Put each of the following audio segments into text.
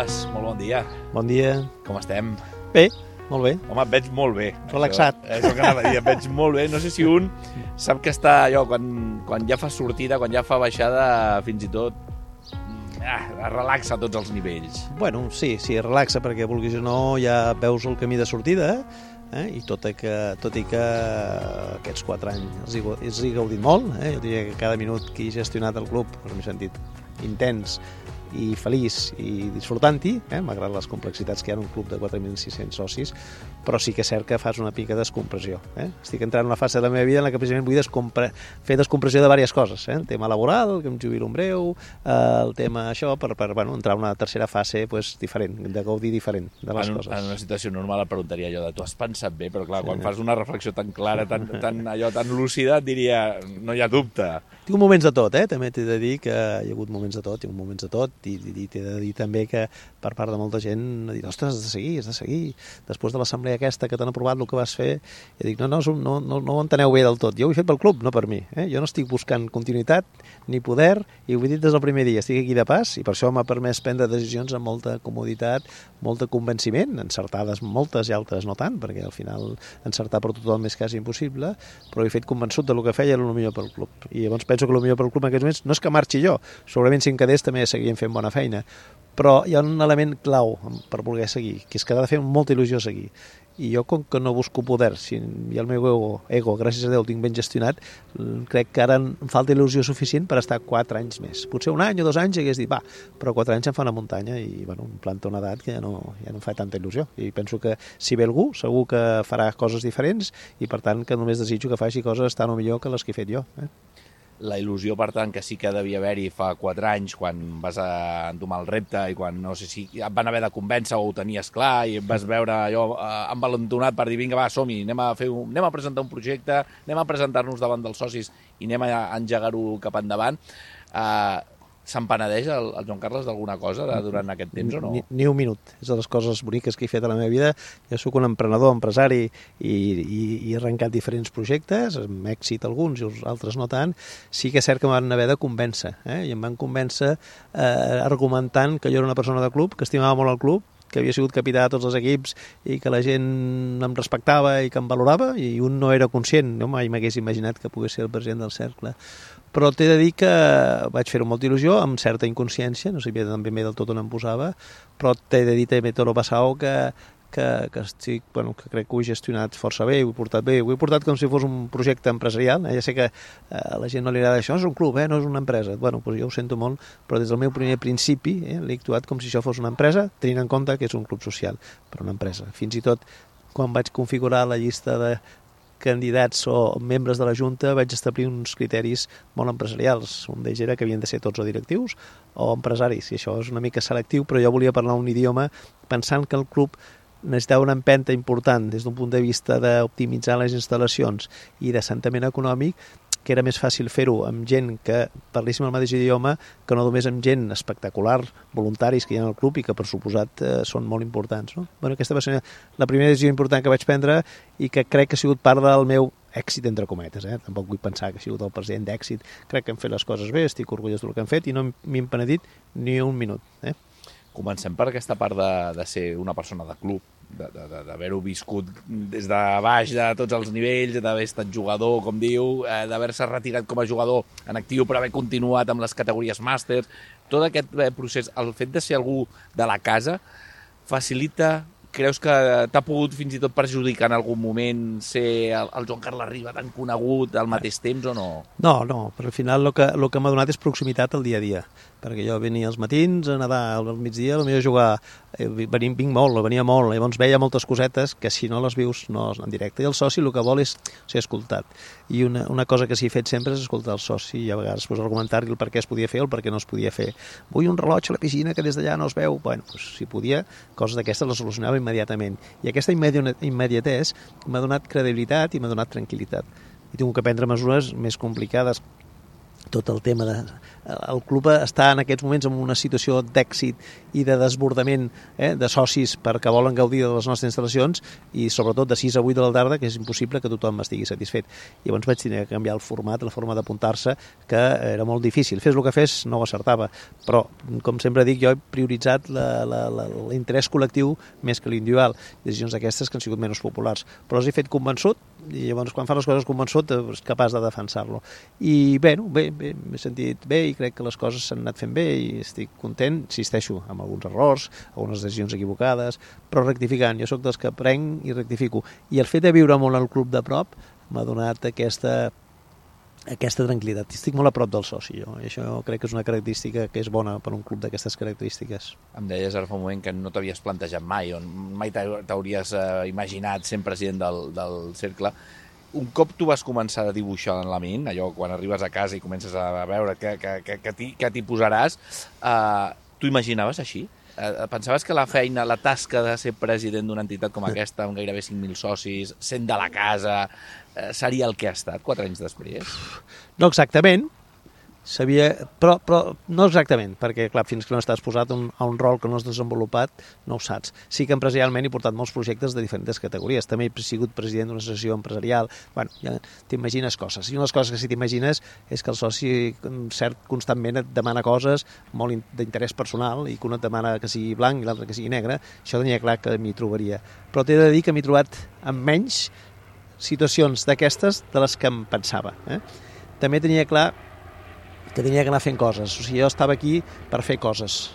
Carles, molt bon dia. Bon dia. Com estem? Bé, molt bé. Home, et veig molt bé. Relaxat. És el que anava a dir, et veig molt bé. No sé si un sap que està allò, quan ja fa sortida, quan ja fa baixada, fins i tot relaxa a tots els nivells. Bueno, sí, relaxa, perquè vulguis o no ja veus el camí de sortida, i tot i que aquests 4 anys els he gaudit molt, jo diria que cada minut que he gestionat el club m'he sentit intens i feliç i disfrutant-hi, malgrat les complexitats que hi ha en un club de 4.600 socis, però sí que és cert que fas una pica de descompressió. Estic entrant en una fase de la meva vida en la que precisament vull fer descompressió de diverses coses. El tema laboral, que em jubilo en breu, el tema això, per entrar en una tercera fase diferent, de gaudir diferent de les coses. En una situació normal et preguntaria allò de tu has pensat bé, però clar, quan fas una reflexió tan clara, tan lúcida, et diria, no hi ha dubte. Tinc moments de tot, també t'he de dir que hi ha hagut moments de tot, i t'he de dir també que per part de molta gent ha dit, ostres, has de seguir. Després de l'assemblea aquesta que t'han aprovat el que vas fer, i dic, no ho enteneu bé del tot. Jo ho he fet pel club, no per mi. Jo no estic buscant continuïtat ni poder, i ho he dit des del primer dia, estic aquí de pas, i per això m'ha permès prendre decisions amb molta comoditat, molt de convenciment, encertades moltes i altres no tant, perquè al final encertar per tothom és quasi impossible, però he fet convençut de lo que feia era el millor pel club. I llavors penso que el millor pel club en aquests moments no és que marxi jo, segurament si em quedés també seguien fent bona feina, però hi ha un element clau per voler seguir, que és que ha de fer molta il·lusió seguir. I jo, com que no busco poder, si el meu ego, gràcies a Déu, el tinc ben gestionat, crec que ara em falta il·lusió suficient per estar 4 anys més. Potser 1 any o 2 anys hagués dit, però 4 anys em fa una muntanya i em planta una edat que ja no em fa tanta il·lusió. I penso que si ve algú, segur que farà coses diferents i, per tant, que només desitjo que faci coses tan o millor que les que he fet jo. La il·lusió, per tant, que sí que devia haver-hi fa 4 anys, quan vas entomar el repte i quan, no sé si et van haver de convèncer o ho tenies clar i et vas veure allò envalentonat per dir, vinga, va, som-hi, anem a presentar un projecte, anem a presentar-nos davant dels socis i anem a engegar-ho cap endavant. Se'n penedeix el Joan Carles d'alguna cosa durant aquest temps o no? Ni un minut. És de les coses boniques que he fet a la meva vida. Jo sóc un emprenedor, empresari, i he arrencat diferents projectes, amb èxit alguns i els altres no tant. Sí que és cert que m'han haver de convèncer, i em van convèncer argumentant que jo era una persona de club, que estimava molt el club, que havia sigut capità de tots els equips i que la gent em respectava i que em valorava, i un no era conscient, no mai m'hagués imaginat que pogués ser el president del cercle. Però t'he de dir que vaig fer-ho amb molta il·lusió, amb certa inconsciència, no sabia ben bé del tot on em posava, però t'he de dir també tot el passau que crec que ho he gestionat força bé, ho he portat bé, ho he portat com si fos un projecte empresarial. Ja sé que a la gent no li agrada això, és un club, no és una empresa. Doncs jo ho sento molt, però des del meu primer principi l'he actuat com si això fos una empresa, tenint en compte que és un club social, però una empresa. Fins i tot quan vaig configurar la llista de candidats o membres de la Junta vaig establir uns criteris molt empresarials. Un d'ells era que havien de ser tots o directius o empresaris, i això és una mica selectiu, però jo volia parlar un idioma pensant que el club necessitava una empenta important des d'un punt de vista d'optimitzar les instal·lacions i d'assentament econòmic, que era més fàcil fer-ho amb gent que parléssim el mateix idioma que no només amb gent espectacular, voluntaris que hi ha al club i que per suposat són molt importants. Aquesta va ser la primera decisió important que vaig prendre i que crec que ha sigut part del meu èxit, entre cometes. Tampoc vull pensar que ha sigut el president d'èxit. Crec que hem fet les coses bé, estic orgullós del que hem fet i no m'he penedit ni un minut. Comencem per aquesta part de ser una persona de club, d'haver-ho viscut des de baix de tots els nivells, d'haver estat jugador, com diu, d'haver-se retirat com a jugador en actiu però haver continuat amb les categories màsters. Tot aquest procés, el fet de ser algú de la casa, facilita, creus que t'ha pogut fins i tot perjudicar en algun moment ser el Joan Carles Riba tan conegut al mateix temps o no? No, però al final el que m'ha donat és proximitat al dia a dia, perquè jo venia als matins a nedar, al migdia potser a jugar, venia molt, llavors veia moltes cosetes que si no les vius no en directe, i el soci el que vol és ser escoltat, i una cosa que s'hi ha fet sempre és escoltar el soci, i a vegades argumentar-li el per què es podia fer o el per què no es podia fer. Vull un rellotge a la piscina que des d'allà no es veu. Si podia, coses d'aquestes les solucionava immediatament, i aquesta immediatesa m'ha donat credibilitat i m'ha donat tranquil·litat, i tinc que prendre mesures més complicades tot el tema de... El club està en aquests moments en una situació d'èxit i de desbordament de socis perquè volen gaudir de les nostres instal·lacions i sobretot de 6 a 8 de la tarda, que és impossible que tothom estigui satisfet. Llavors vaig tenir que canviar el format, la forma d'apuntar-se, que era molt difícil. Fes el que fes, no ho acertava. Però, com sempre dic, jo he prioritzat l'interès col·lectiu més que l'individual. Decisions d'aquestes que han sigut menys populars. Però les he fet convençut i llavors quan fan les coses convençut és capaç de defensar-lo. I bé, m'he sentit bé i crec que les coses s'han anat fent bé i estic content, insisteixo, amb alguns errors, algunes decisions equivocades, però rectificant. Jo sóc dels que prenc i rectifico. I el fet de viure molt al club de prop m'ha donat aquesta tranquil·litat. Estic molt a prop del soci, jo. I això crec que és una característica que és bona per un club d'aquestes característiques. Em deies ara fa un moment que no t'havies plantejat mai, mai t'hauries imaginat sent president del cercle. Un cop tu vas començar a dibuixar en la ment, allò quan arribes a casa i comences a veure que t'hi posaràs, tu imaginaves així? Pensaves que la feina, la tasca de ser president d'una entitat com aquesta, amb gairebé 5.000 socis, sent de la casa, seria el que ha estat 4 anys després? No exactament, però no exactament, perquè clar, fins que no estàs posat a un rol que no has desenvolupat, no ho saps. Sí que empresarialment he portat molts projectes de diferents categories. També he sigut president d'una associació empresarial. Bueno, ja t'imagines coses. I una de les coses que sí t'imagines és que el soci constantment et demana coses molt d'interès personal i que un et demana que sigui blanc i l'altre que sigui negre. Això tenia clar que m'hi trobaria. Però t'he de dir que m'he trobat amb menys situacions d'aquestes de les que em pensava. També tenia clar que tenia que anar fent coses. O sigui, jo estava aquí per fer coses,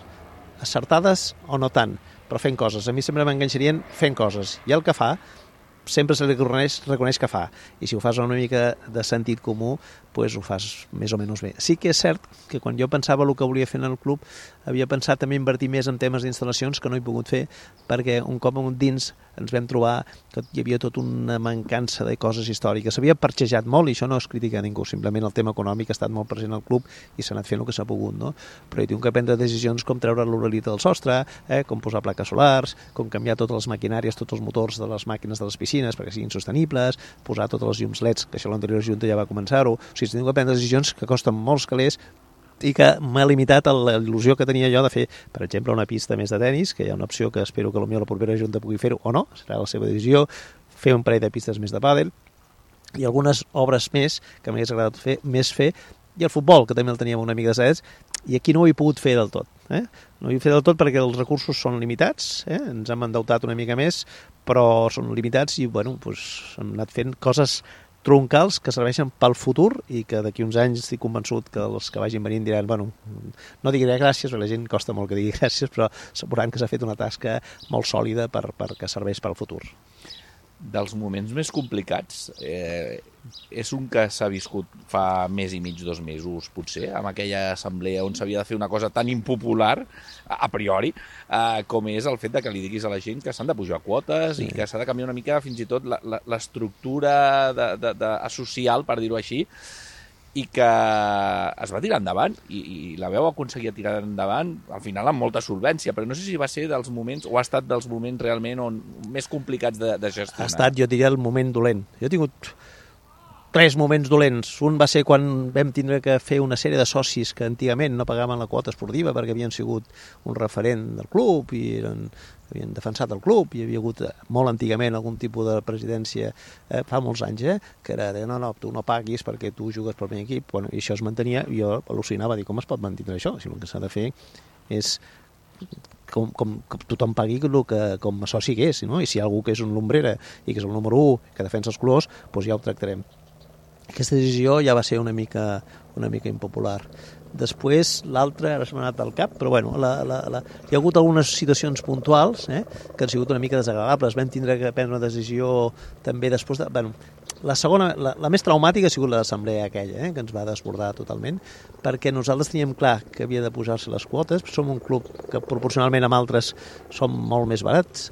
acertades o no tant, però fent coses. A mi sempre m'enganxarien fent coses. I el que fa, sempre se li reconeix que fa. I si ho fas una mica de sentit comú, doncs ho fas més o menys bé. Sí que és cert que quan jo pensava el que volia fer en el club, havia pensat també invertir més en temes d'instal·lacions que no he pogut fer, perquè un cop dins ens vam trobar que hi havia tota una mancança de coses històriques. S'havia parxejat molt, i això no es critica a ningú, simplement el tema econòmic ha estat molt present al club i s'ha anat fent el que s'ha pogut, no? Però hi tinc que prendre decisions com treure l'uralita del sostre, com posar plaques solars, com canviar totes les maquinàries, tots els motors de les màquines de les piscines perquè siguin sostenibles, posar totes les llums LEDs, que això l'anterior Junta ja va començar-ho. O sigui, tinc que prendre decisions que costen molts calés i que m'ha limitat a la il·lusió que tenia jo de fer, per exemple, una pista més de tennis, que hi ha una opció que espero que potser la propera Junta pugui fer-ho o no, serà la seva decisió, fer un parell de pistes més de pàdel i algunes obres més que m'hagués agradat fer, i el futbol, que també el teníem una mica de sets, i aquí no ho he pogut fer del tot. No ho he fet del tot perquè els recursos són limitats, ens hem endeutat una mica més, però són limitats i bueno, hem anat fent coses troncals que serveixen pel futur i que d'aquí uns anys estic convençut que els que vagin venint diran, bueno, no diré gràcies, perquè la gent costa molt que digui gràcies, però asseguran que s'ha fet una tasca molt sòlida perquè serveix pel futur. Dels moments més complicats, és un que s'ha viscut fa mes i mig, 2 mesos, potser, amb aquella assemblea on s'havia de fer una cosa tan impopular, a priori, com és el fet de que li diguis a la gent que s'han de pujar quotes i que s'ha de canviar una mica fins i tot l'estructura social, per dir-ho així, i que es va tirar endavant i la veu aconseguia tirar endavant al final amb molta solvència, però no sé si va ser dels moments o ha estat dels moments realment més complicats de gestionar. Ha estat, jo diria, el moment dolent. Jo he tingut 3 moments dolents. Un va ser quan vam tindre que fer una sèrie de socis que antigament no pagaven la quota esportiva perquè havien sigut un referent del club i havien defensat el club i hi havia hagut molt antigament algun tipus de presidència fa molts anys, que era de no, tu no paguis perquè tu jugues pel meu equip. Bueno, i això es mantenia, i jo al·lucinava, dir com es pot mantenir això? Si el que s'ha de fer és com tothom pagui com a soci que és, no? I si hi ha algú que és un lumbrera i que és el número 1, que defensa els colors, doncs ja ho tractarem. Aquesta decisió ja va ser una mica impopular. Després, l'altra, ara se m'ha anat al cap, però bueno, hi ha hagut algunes situacions puntuals que han sigut una mica desagradables. Vam tindre que prendre una decisió també després de... Bueno, la segona, la més traumàtica ha sigut l'assemblea aquella, que ens va desbordar totalment, perquè nosaltres teníem clar que havia de pujar-se les quotes, som un club que proporcionalment amb altres som molt més barats,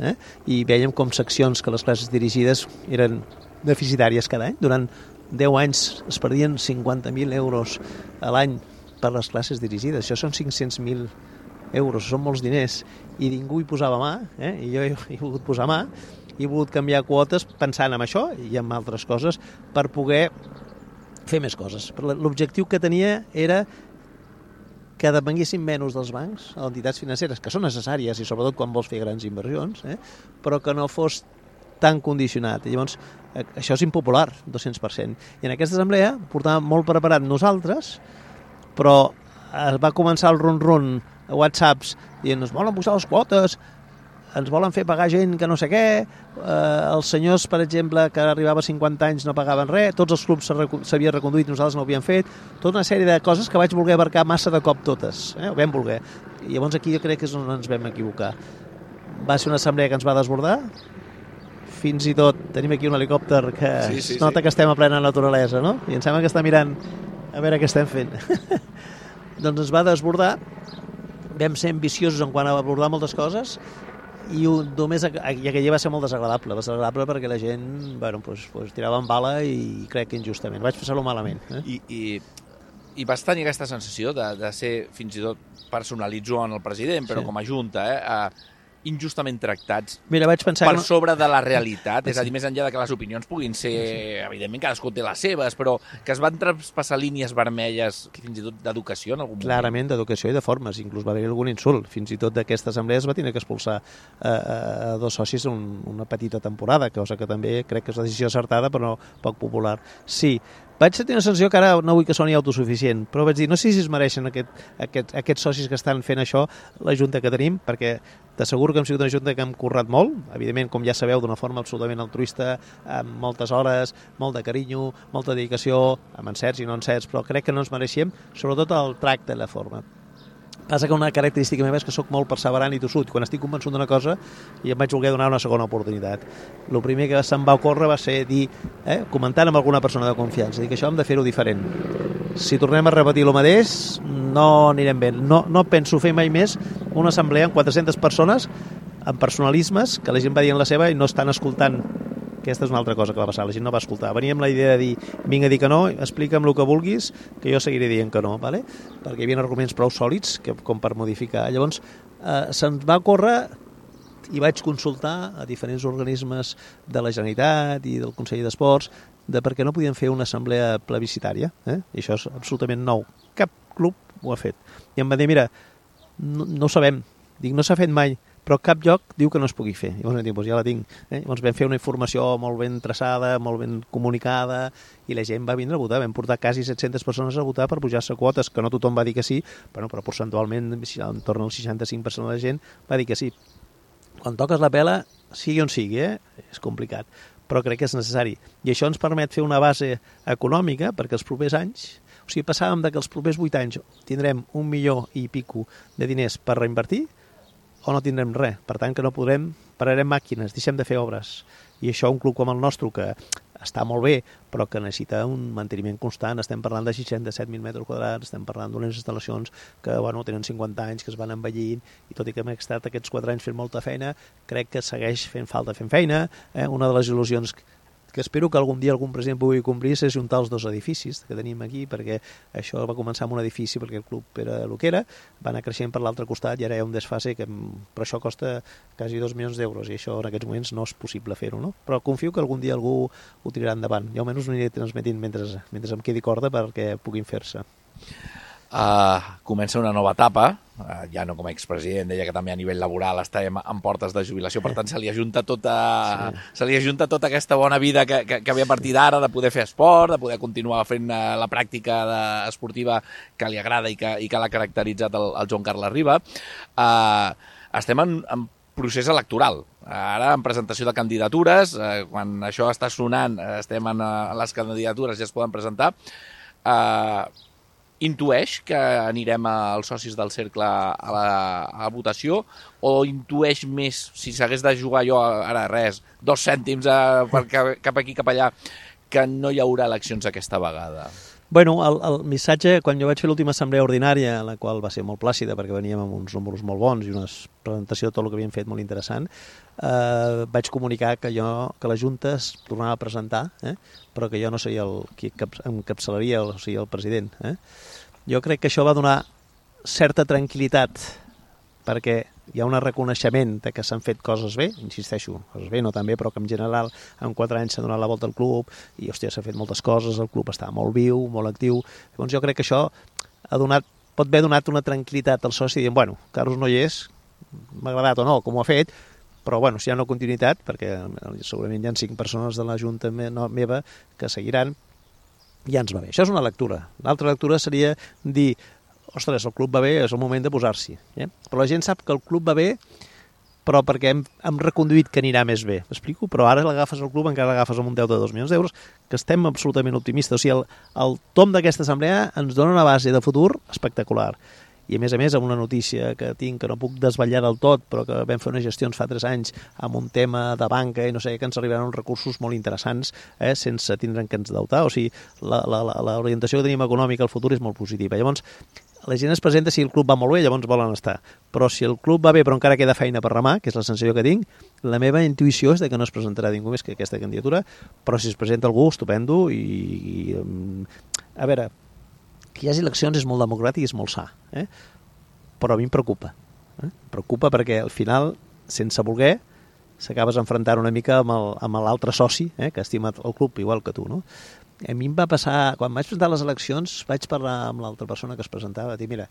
i vèiem com seccions que les classes dirigides eren deficitàries cada any. Durant 10 anys es perdien 50.000 euros a l'any per les classes dirigides. Això són 500.000 euros, són molts diners, i ningú hi posava mà, i jo he volgut posar mà, he volgut canviar quotes pensant en això i en altres coses per poder fer més coses. L'objectiu que tenia era que depenguessin menys dels bancs, a entitats financeres, que són necessàries, i sobretot quan vols fer grans inversions, però que no fos tan condicionat. I llavors, això és impopular, 200%. I en aquesta assemblea portàvem molt preparat nosaltres, però es va començar el run-run a WhatsApps dient, ens volen posar les quotes, ens volen fer pagar gent que no sé què, els senyors, per exemple, que arribava a 50 anys no pagaven res, tots els clubs s'havien reconduït, nosaltres no ho havíem fet, tota una sèrie de coses que vaig voler abarcar massa de cop totes, ho vam voler. I llavors aquí jo crec que és on ens vam equivocar. Va ser una assemblea que ens va desbordar, fins i tot tenim aquí un helicòpter que es nota que estem a plena naturalesa, no? I em sembla que està mirant a veure què estem fent. Doncs ens va desbordar, vam ser ambiciosos en quant a abordar moltes coses, i només aquell va ser molt desagradable perquè la gent tirava en bala i crec que injustament. Vaig passar-ho malament. I vas tenir aquesta sensació de ser, fins i tot personalitzo en el president, però com a junta, injustament tractats. Mira, vaig pensar per sobre de la realitat, és a dir, més enllà de que les opinions puguin ser, evidentment cadascú té les seves, però que es van traspassar línies vermelles, fins i tot d'educació en algun moment. Clarament, d'educació i de formes, inclús va haver algun insult. Fins i tot d'aquesta assemblea es va tenir que expulsar dos socis una petita temporada, cosa que també crec que és una decisió acertada, però poc popular. Sí, vaig tenir una sensació que ara no vull que soni autosuficient, però vaig dir, no sé si es mereixen aquests socis que estan fent això, la junta que tenim, perquè t'asseguro que hem sigut una junta que hem currat molt, evidentment, com ja sabeu, d'una forma absolutament altruista, amb moltes hores, molt de carinyo, molta dedicació, amb encerts i no encerts, però crec que no ens mereixem, sobretot el tracte i la forma. Passa que una característica meva és que sóc molt perseverant i tossut. Quan estic convençut d'una cosa, i em vaig voler donar una segona oportunitat. El primer que se'm va ocórrer va ser dir, comentant amb alguna persona de confiança, dir que això hem de fer-ho diferent. Si tornem a repetir el mateix, no anirem bé. No penso fer mai més una assemblea amb 400 persones, amb personalismes, que la gent va dient la seva i no estan escoltant. Aquesta és una altra cosa que va passar, la gent no va escoltar. Venia amb la idea de dir, vinc a dir que no, explica'm el que vulguis, que jo seguiré dient que no, ¿vale? Perquè hi havia arguments prou sòlids com per modificar. Llavors, se'ns va córrer i vaig consultar a diferents organismes de la Generalitat i del Consell d'Esports de per què no podien fer una assemblea plebiscitària. I això és absolutament nou. Cap club ho ha fet. I em va dir, mira, no ho sabem. Dic, no s'ha fet mai, però cap lloc diu que no es pugui fer. Llavors vam dir, doncs ja la tinc. Llavors vam fer una informació molt ben traçada, molt ben comunicada, i la gent va vindre a votar. Vam portar quasi 700 persones a votar per pujar-se quotes, que no tothom va dir que sí, però percentualment, en torn al 65% de la gent va dir que sí. Quan toques la pela, sigui on sigui, és complicat, però crec que és necessari. I això ens permet fer una base econòmica perquè els propers anys, o sigui, passàvem que els propers 8 anys tindrem 1 milió i pico de diners per reinvertir, o no tindrem res. Per tant, que no podrem, pararem màquines, deixem de fer obres. I això un club com el nostre, que està molt bé, però que necessita un manteniment constant. Estem parlant de 67.000 metres quadrats, estem parlant d'unes instal·lacions que tenen 50 anys, que es van envellint, i tot i que hem estat aquests 4 anys fent molta feina, crec que segueix fent falta fent feina. Una de les il·lusions que espero que algun dia algun president pugui complir és juntar els dos edificis que tenim aquí, perquè això va començar amb un edifici perquè el club era el que era, va anar creixent per l'altre costat i ara hi ha un desfase que però això costa quasi 2 milions d'euros i això en aquests moments no és possible fer-ho, no? Però confio que algun dia algú ho tirarà endavant. Jo almenys ho aniré transmetint mentre em quedi corda perquè puguin fer-se. Comença una nova etapa, ja no com a expresident, deia que també a nivell laboral estem en portes de jubilació, per tant se li ajunta tota aquesta bona vida que ve a partir d'ara, de poder fer esport, de poder continuar fent la pràctica esportiva que li agrada i que l'ha caracteritzat el Joan Carles Riba. Estem en procés electoral. Ara, en presentació de candidatures, quan això està sonant, estem en les candidatures, ja es poden presentar. Intueix que anirem als socis del cercle a la votació o intueix més, si s'hagués de jugar jo ara res, 2 cèntims cap aquí, cap allà, que no hi haurà eleccions aquesta vegada? Bueno, el missatge, quan jo vaig fer l'última assemblea ordinària, la qual va ser molt plàcida perquè veníem amb uns números molt bons i una presentació de tot el que havíem fet molt interessant, vaig comunicar que la Junta es tornava a presentar, però que jo no seria el qui encapçalaria, o sigui, el president. Jo crec que això va donar certa tranquil·litat perquè hi ha un reconeixement de que s'han fet coses bé, insisteixo, coses bé, no tan bé, però que en general en 4 anys s'ha donat la volta al club i, hòstia, s'ha fet moltes coses, el club està molt viu, molt actiu. Llavors jo crec que això pot haver donat una tranquil·litat al soci dient, bueno, Carlos no hi és, m'ha agradat o no, com ho ha fet, però bueno, si hi ha una continuïtat, perquè segurament hi ha 5 persones de la Junta meva que seguiran, ja ens va bé. Això és una lectura. L'altra lectura seria dir, ostres, el club va bé, és el moment de posar-s'hi. Però la gent sap que el club va bé, però perquè hem reconduït que anirà més bé. M'explico? Però ara l'agafes al club, encara l'agafes amb un deute de 2 milions d'euros, que estem absolutament optimistes. O sigui, el tom d'aquesta assemblea ens dona una base de futur espectacular. I a més, amb una notícia que tinc, que no puc desvetllar del tot, però que vam fer unes gestions fa 3 anys amb un tema de banca i no sé, que ens arribaran uns recursos molt interessants sense tindre'n que ens deutar. O sigui, l'orientació que tenim econòmica al futur és molt positiva. Llavors, la gent es presenta si el club va molt bé, llavors volen estar. Però si el club va bé però encara queda feina per remar, que és la sensació que tinc, la meva intuïció és de que no es presentarà ningú més que aquesta candidatura, però si es presenta algú, estupendo, i a veure, que hi hagi eleccions és molt democràtic i és molt sa, però a mi em preocupa. Em preocupa perquè al final, sense voler, s'acabes enfrontant una mica amb l'altre soci, que estima el club igual que tu, no? A mi em va passar, quan vaig presentar les eleccions, vaig parlar amb l'altra persona que es presentava, dir, mira,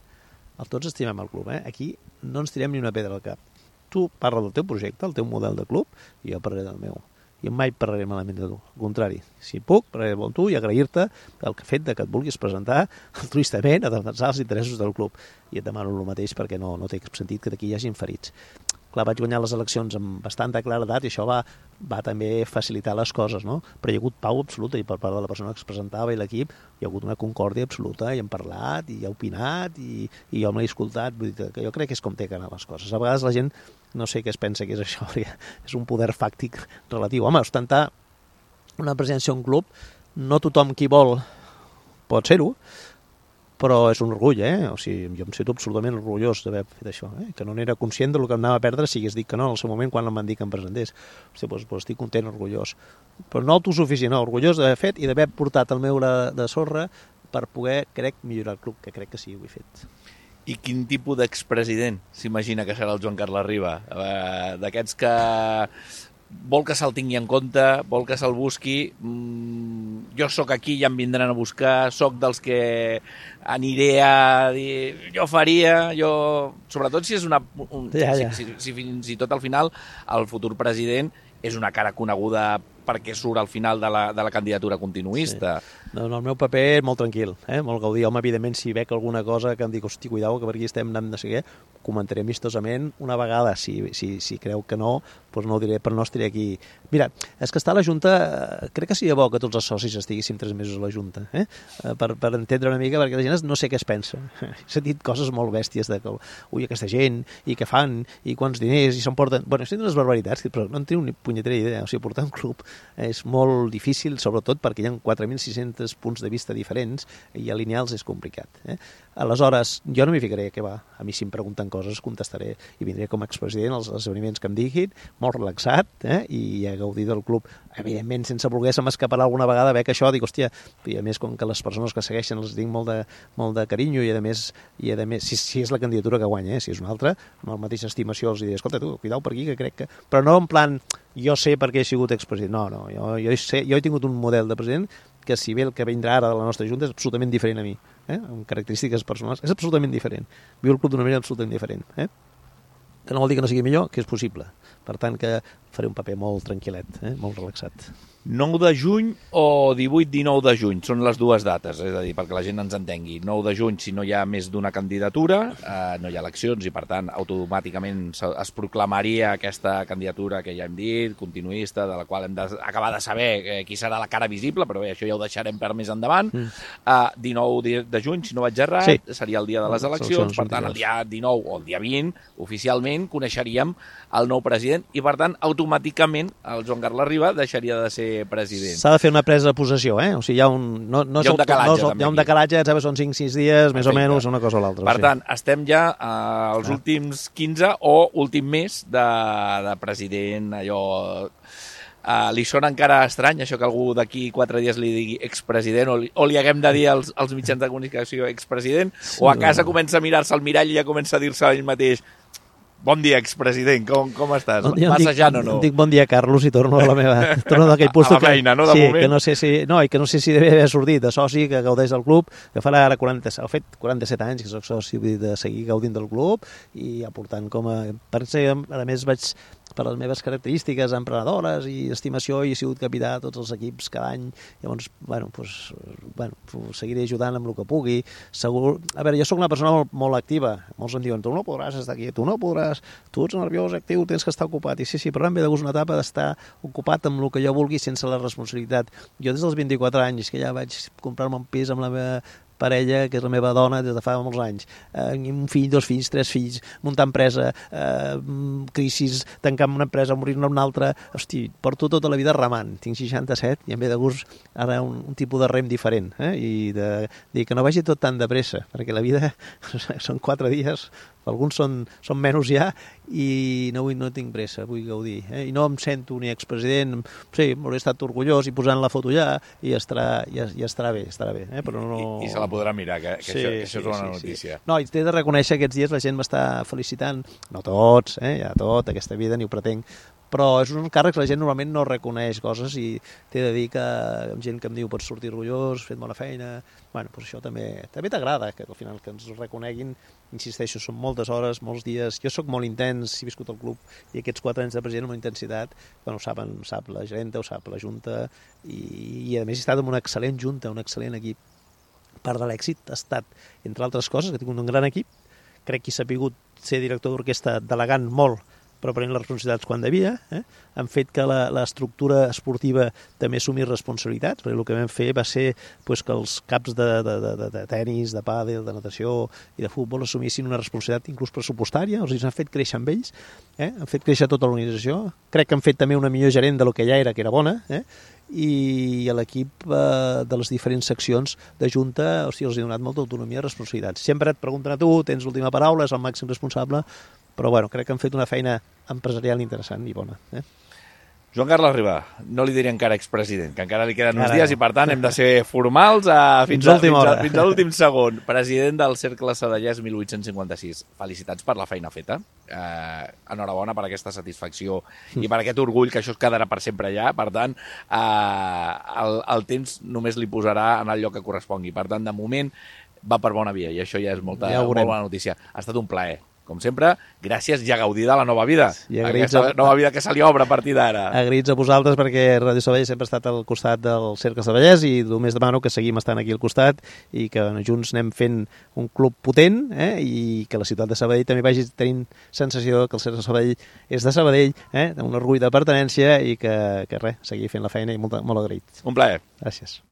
tots estimem el club, aquí no ens tirem ni una pedra al cap. Tu parla del teu projecte, el teu model de club, i jo parlaré del meu. I mai parlaré malament de tu. Al contrari, si puc, parlaré amb tu i agrair-te el fet que et vulguis presentar altruistament a defensar els interessos del club. I et demano el mateix perquè no té sentit que d'aquí hi hagin ferits. Clar, vaig guanyar les eleccions amb bastanta claredat i això va també facilitar les coses, no? Però hi ha hagut pau absoluta i per part de la persona que es presentava i l'equip hi ha hagut una concòrdia absoluta i hem parlat i ha opinat i jo me l'he escoltat. Vull dir que jo crec que és com té que anar les coses. A vegades la gent no sé què es pensa que és això, perquè és un poder fàctic relatiu. Home, ostentar una presència a un club, no tothom qui vol pot ser-ho, però és un orgull, O sigui, jo em sento absolutament orgullós d'haver fet això, que no n'era conscient del que em anava a perdre si hagués dit que no en el seu moment quan em van dir que em presentés. Hosti, doncs estic content, orgullós. Però no autosuficient, no, orgullós d'haver fet i d'haver portat el meu de sorra per poder, crec, millorar el club, que crec que sí, ho he fet. I quin tipus d'expresident s'imagina que serà el Joan Carles Riba? D'aquests que vol que se'l tingui en compte, vol que se'l busqui, jo sóc aquí i ja em vindran a buscar, sóc dels que aniré a dir, jo faria, sobretot si és si fins i tot al final el futur president és una cara coneguda perquè surt al final de la candidatura continuista. Sí. No, el meu paper és molt tranquil, molt gaudir. Home, evidentment, si veig alguna cosa que em dic, hosti, cuidao, que per aquí estem anant de seguir, comentaré amistosament una vegada. Si creu que no, doncs no ho diré, però no estaré aquí. Mira, és que està a la Junta, crec que seria bo que tots els socis estiguéssim 3 mesos a la Junta, per entendre una mica, perquè la gent no sé què es pensa. He sentit coses molt bèsties de que, ui, aquesta gent, i què fan, i quants diners, i s'emporten... Bueno, he sentit unes barbaritats, però no en tinc ni punyetera idea. O sigui, portar un club és molt difícil, sobretot perquè hi ha 4.600 punts de vista diferents i alinear-los és complicat. Aleshores, jo no m'hi ficaré, que va. A mi si em pregunten coses contestaré i vindré com a expresident als esdeveniments que em diguin, molt relaxat, i a gaudir del club. Evidentment, sense voler se m'escaparà alguna vegada veig això, dic, hòstia, i a més, com que les persones que segueixen els tinc molt de carinyo i a més si és la candidatura que guanya, si és una altra, amb la mateixa estimació els diré, escolta, tu, cuidao per aquí, que crec que... Però no en plan, jo sé perquè he sigut expresident, no, jo he tingut un model de president que si bé el que vindrà ara de la nostra Junta és absolutament diferent a mi, amb característiques personals, és absolutament diferent. Viu el club d'una manera absolutament diferent. Que no vol dir que no sigui millor, que és possible. Per tant, que faré un paper molt tranquil·let, molt relaxat. 9 de juny o 18-19 de juny són les dues dates, és a dir, perquè la gent ens entengui. 9 de juny, si no hi ha més d'una candidatura, no hi ha eleccions i, per tant, automàticament es proclamaria aquesta candidatura que ja hem dit, continuista, de la qual hem d'acabar de saber qui serà la cara visible, però bé, això ja ho deixarem per més endavant. 19 de juny, si no vaig errat, seria el dia de les eleccions, per tant, el dia 19 o el dia 20, oficialment, coneixeríem el nou president i, per tant, automàticament el Joan Carles Riba deixaria de ser president. S'ha de fer una presa de possessió, o sigui, hi ha un decalatge, són 5-6 dies, més o menys, una cosa o l'altra. Per tant, estem ja als últims 15 o últim mes de president, allò... li sona encara estrany això que algú d'aquí 4 dies li digui expresident o li haguem de dir als mitjans de comunicació expresident, o a casa comença a mirar-se al mirall i ja comença a dir-se ell mateix Bon dia, expresident, com estàs? Bon dia, Massejant o no? Em dic bon dia, Carlos, i torno a la meva... Torno d'aquell puesto a la feina, no, de sí, moment? Que no sé si devia haver sortit de soci, que gaudeix del club, que farà ara 47 anys que soc soci, vull dir, de seguir gaudint del club i aportant com a... A més, vaig per les meves característiques emprenedores i estimació i he sigut capità de tots els equips cada any. Llavors, seguiré ajudant amb el que pugui. Segur... A veure, jo sóc una persona molt activa. Molts em diuen, tu no podràs estar aquí, tu no podràs, tu ets nerviós, actiu, tens que estar ocupat. I sí, però em ve de gust una etapa d'estar ocupat amb el que jo vulgui sense la responsabilitat. Jo des dels 24 anys, que ja vaig comprar-me un pis amb la meva parella, que és la meva dona des de fa molts anys, un fill, 2 fills, 3 fills, muntar empresa, crisis, tancar una empresa, morir-ne una altra, hosti, porto tota la vida remant, tinc 67 i em ve de gust ara un tipus de rem diferent, i de dir que no vagi tot tan de pressa, perquè la vida són 4 dies, alguns són menys ja, i no tinc pressa, vull gaudir. I no em sento ni expresident, sí, m'hauré estat orgullós i posant la foto ja, i estarà bé, però no... I se la podrà mirar, que això és una notícia. No, i t'he de reconèixer aquests dies la gent m'està felicitant, no tots, ja tot, aquesta vida ni ho pretenc, però és un càrrec que la gent normalment no reconeix coses i t'he de dir que gent que em diu pots sortir orgullós, fet bona feina, bueno, doncs això també t'agrada, que al final que ens reconeguin, insisteixo, són moltes hores, molts dies, jo sóc molt intens, he viscut al club i aquests 4 anys de president amb una intensitat, bueno, ho sap la gerenta, ho sap la junta i a més he estat amb una excel·lent junta, un excel·lent equip. Part de l'èxit ha estat, entre altres coses, que tinc un gran equip, crec que he sabut ser director d'orquestra delegant molt, però prenent les responsabilitats quan devia, han fet que l'estructura esportiva també assumís responsabilitats, perquè el que vam fer va ser que els caps de tenis, de pàdel, de natació i de futbol assumissin una responsabilitat inclús pressupostària, o sigui, s'han fet créixer amb ells, han fet créixer tota l'organització, crec que han fet també una millor gerent del que ja era, que era bona, i a l'equip de les diferents seccions de Junta els he donat molta autonomia i responsabilitats. Sempre et pregunten a tu, tens l'última paraula, és el màxim responsable, però bueno, crec que han fet una feina empresarial interessant i bona. Joan Carles Riba, no li diré encara expresident, que encara li queden uns dies i per tant hem de ser formals fins a l'últim segon. President del Cercle Sabadellès 1856. Felicitats per la feina feta. Enhorabona per aquesta satisfacció i per aquest orgull, que això es quedarà per sempre allà. Per tant, el temps només li posarà en el lloc que correspongui. Per tant, de moment va per bona via i això ja és molt bona notícia. Ha estat un plaer. Com sempre, gràcies i a gaudir de la nova vida. Aquesta nova vida que se li obre a partir d'ara. Agraïts a vosaltres perquè Ràdio Sabadell sempre ha estat al costat del Cercle Sabadellès i només demano que seguim estant aquí al costat i que junts anem fent un club potent i que la ciutat de Sabadell també vagi tenint sensació que el Cercle Sabadell és de Sabadell, un orgull de pertinença i que res, seguir fent la feina i molt agraït. Un plaer. Gràcies.